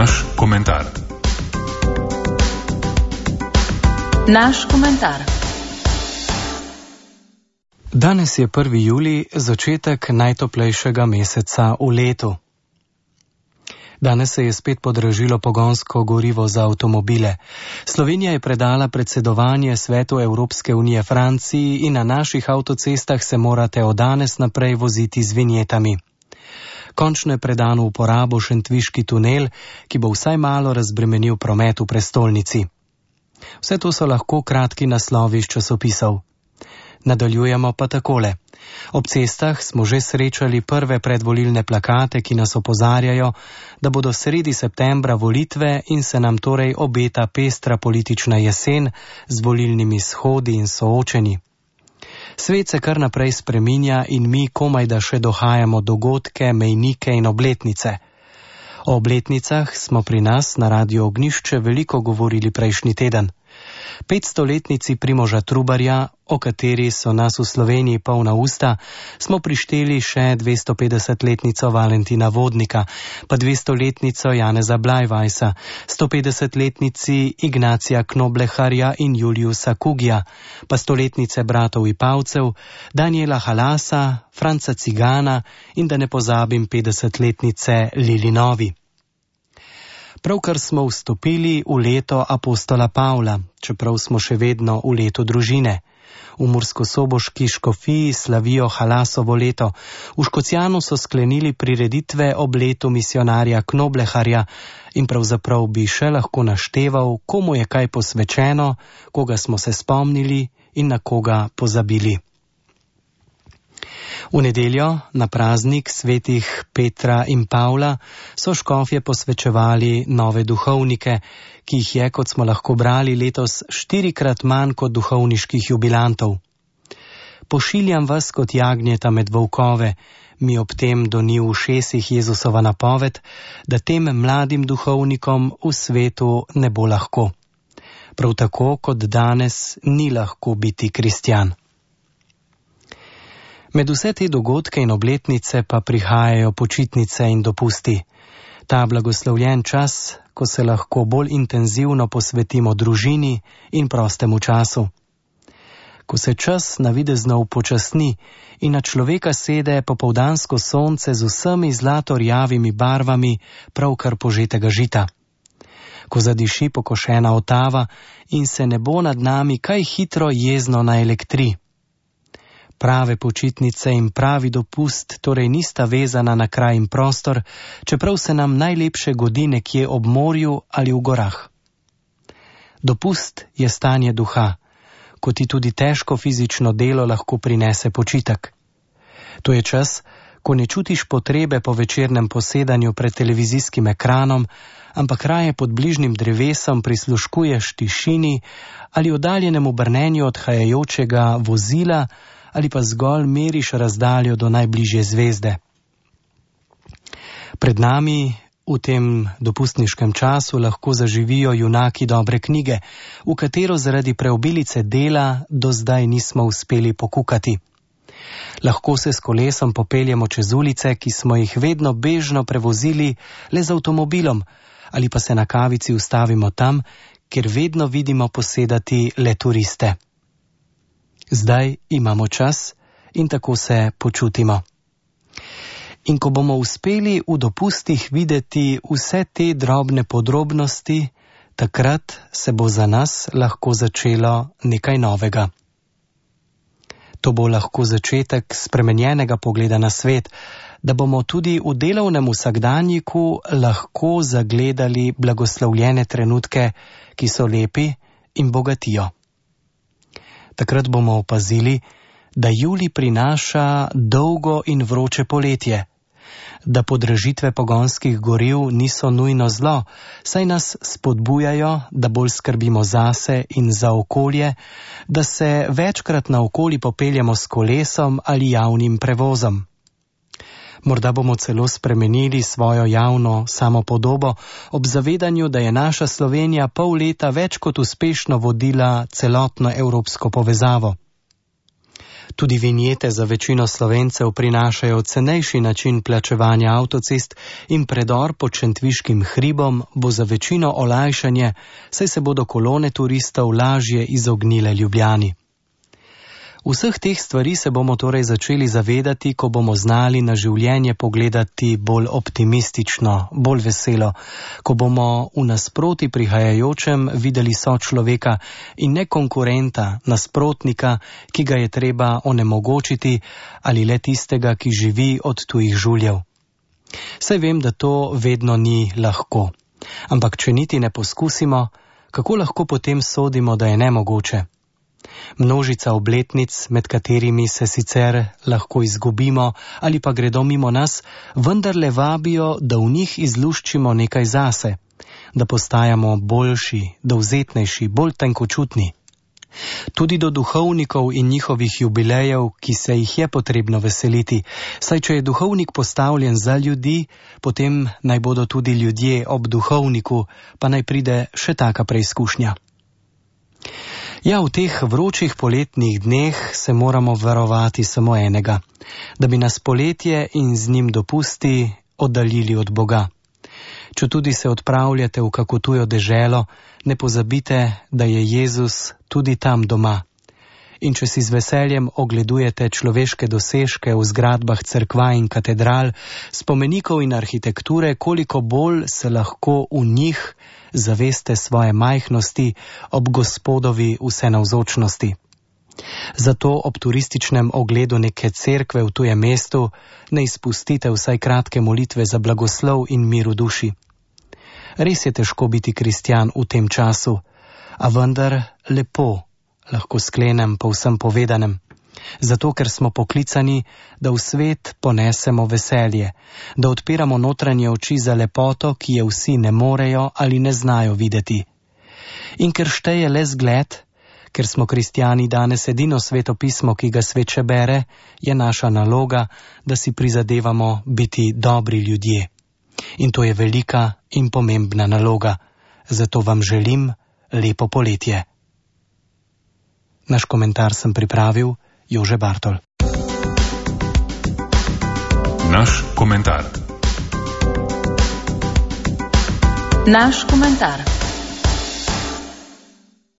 Naš komentar. Naš komentar. Danes je 1. julij, začetek najtoplejšega meseca v letu. Danes se je spet podražilo pogonsko gorivo za avtomobile. Slovenija je predala predsedovanje Svetu Evropske unije Franciji in na naših avtocestah se morate od danes naprej voziti z vinjetami. Končno je predan v uporabo šentviški tunel, ki bo vsaj malo razbremenil promet v prestolnici. Vse to so lahko kratki naslovi iz časopisov. Nadaljujemo pa takole. Ob cestah smo že srečali prve predvolilne plakate, ki nas opozarjajo, da bodo sredi septembra volitve in se nam torej obeta pestra politična jesen z volilnimi shodi in soočenji. Svet se kar naprej spreminja in mi komaj da še dohajamo dogodke, mejnike in obletnice. O obletnicah smo pri nas na Radiu Ognjišče veliko govorili prejšnji teden. 500-letnici Primoža Trubarja, o kateri so nas v Sloveniji polna usta, smo prišteli še 250-letnico Valentina Vodnika, pa 200-letnico Janeza Blajvajsa, 150-letnici Ignacija Knobleharja in Juliusa Kugija, pa 100-letnice bratov Ipavcev, Daniela Halasa, Franca Cigana in da ne pozabim 50-letnice Lili Novi. Pravkar smo vstopili v leto apostola Pavla, čeprav smo še vedno v letu družine. V murskosoboški škofiji slavijo Halasovo leto. V Škocjanu so sklenili prireditve ob letu misionarja Knobleharja in pravzaprav bi še lahko našteval, komu je kaj posvečeno, koga smo se spomnili in na koga pozabili. V nedeljo, na praznik svetih Petra in Pavla, so škofje posvečevali nove duhovnike, ki jih je, kot smo lahko brali, letos 4-krat manj kot duhovniških jubilantov. Pošiljam vas kot jagnjeta med volkove, mi ob tem doni v ušesih Jezusova napoved, da tem mladim duhovnikom v svetu ne bo lahko. Prav tako kot danes ni lahko biti kristjan. Med vse te dogodke in obletnice pa prihajajo počitnice in dopusti. Ta blagoslovljen čas, ko se lahko bolj intenzivno posvetimo družini in prostemu času. Ko se čas navidezno upočasni in na človeka sede popoldansko sonce z vsemi zlato-rjavimi barvami pravkar požetega žita. Ko zadiši pokošena otava in se nebo nad nami kaj hitro jezno naelektri. Prave počitnice in pravi dopust torej nista vezana na kraj in prostor, čeprav se nam najlepše godi nekje ob morju ali v gorah. Dopust je stanje duha, ko ti tudi težko fizično delo lahko prinese počitek. To je čas, ko ne čutiš potrebe po večernem posedanju pred televizijskim ekranom, ampak raje pod bližnjim drevesom prisluškuješ tišini ali oddaljenemu brnenju odhajajočega vozila, ali pa zgolj meriš razdaljo do najbližje zvezde. Pred nami v tem dopustniškem času lahko zaživijo junaki dobre knjige, v katero zaradi preobilice dela do zdaj nismo uspeli pokukati. Lahko se s kolesom popeljemo čez ulice, ki smo jih vedno bežno prevozili le z avtomobilom, ali pa se na kavici ustavimo tam, kjer vedno vidimo posedati le turiste. Zdaj imamo čas in tako se počutimo. In ko bomo uspeli v dopustih videti vse te drobne podrobnosti, takrat se bo za nas lahko začelo nekaj novega. To bo lahko začetek spremenjenega pogleda na svet, da bomo tudi v delovnem vsakdanjiku lahko zagledali blagoslovljene trenutke, ki so lepi in bogatijo. Takrat bomo opazili, da julij prinaša dolgo in vroče poletje, da podražitve pogonskih goriv niso nujno zlo, saj nas spodbujajo, da bolj skrbimo zase in za okolje, da se večkrat naokoli popeljemo s kolesom ali javnim prevozom. Morda bomo celo spremenili svojo javno samopodobo ob zavedanju, da je naša Slovenija pol leta več kot uspešno vodila celotno evropsko povezavo. Tudi vinjete za večino Slovencev prinašajo cenejši način plačevanja avtocest in predor pod Šentviškim hribom bo za večino olajšanje, saj se bodo kolone turistov lažje izognile Ljubljani. Vseh teh stvari se bomo torej začeli zavedati, ko bomo znali na življenje pogledati bolj optimistično, bolj veselo, ko bomo v nasproti prihajajočem videli sočloveka in ne konkurenta, nasprotnika, ki ga je treba onemogočiti, ali le tistega, ki živi od tujih žuljev. Saj vem, da to vedno ni lahko, ampak če niti ne poskusimo, kako lahko potem sodimo, da je nemogoče? Množica obletnic, med katerimi se sicer lahko izgubimo ali pa gredo mimo nas, vendarle vabijo, da v njih izluščimo nekaj zase, da postajamo boljši, dovzetnejši, bolj tenkočutni. Tudi do duhovnikov in njihovih jubilejev, ki se jih je potrebno veseliti, saj če je duhovnik postavljen za ljudi, potem naj bodo tudi ljudje ob duhovniku, pa naj pride še taka preizkušnja. Ja, v teh vročih poletnih dneh se moramo varovati samo enega, da bi nas poletje in z njim dopusti oddaljili od Boga. Četudi se odpravljate v kako tujo deželo, ne pozabite, da je Jezus tudi tam doma. In če si z veseljem ogledujete človeške dosežke v zgradbah cerkva in katedral, spomenikov in arhitekture, koliko bolj se lahko v njih zaveste svoje majhnosti ob Gospodovi vsenavzočnosti. Zato ob turističnem ogledu neke cerkve v tujem mestu ne izpustite vsaj kratke molitve za blagoslov in mir v duši. Res je težko biti kristjan v tem času, a vendar lepo, lahko sklenem po vsem povedanem. Zato, ker smo poklicani, da v svet ponesemo veselje, da odpiramo notranje oči za lepoto, ki je vsi ne morejo ali ne znajo videti. In ker šteje le zgled, ker smo kristjani danes edino svetopismo, ki ga svet še bere, je naša naloga, da si prizadevamo biti dobri ljudje. In to je velika in pomembna naloga. Zato vam želim lepo poletje. Naš komentar sem pripravil Jože Bartol. Naš komentar.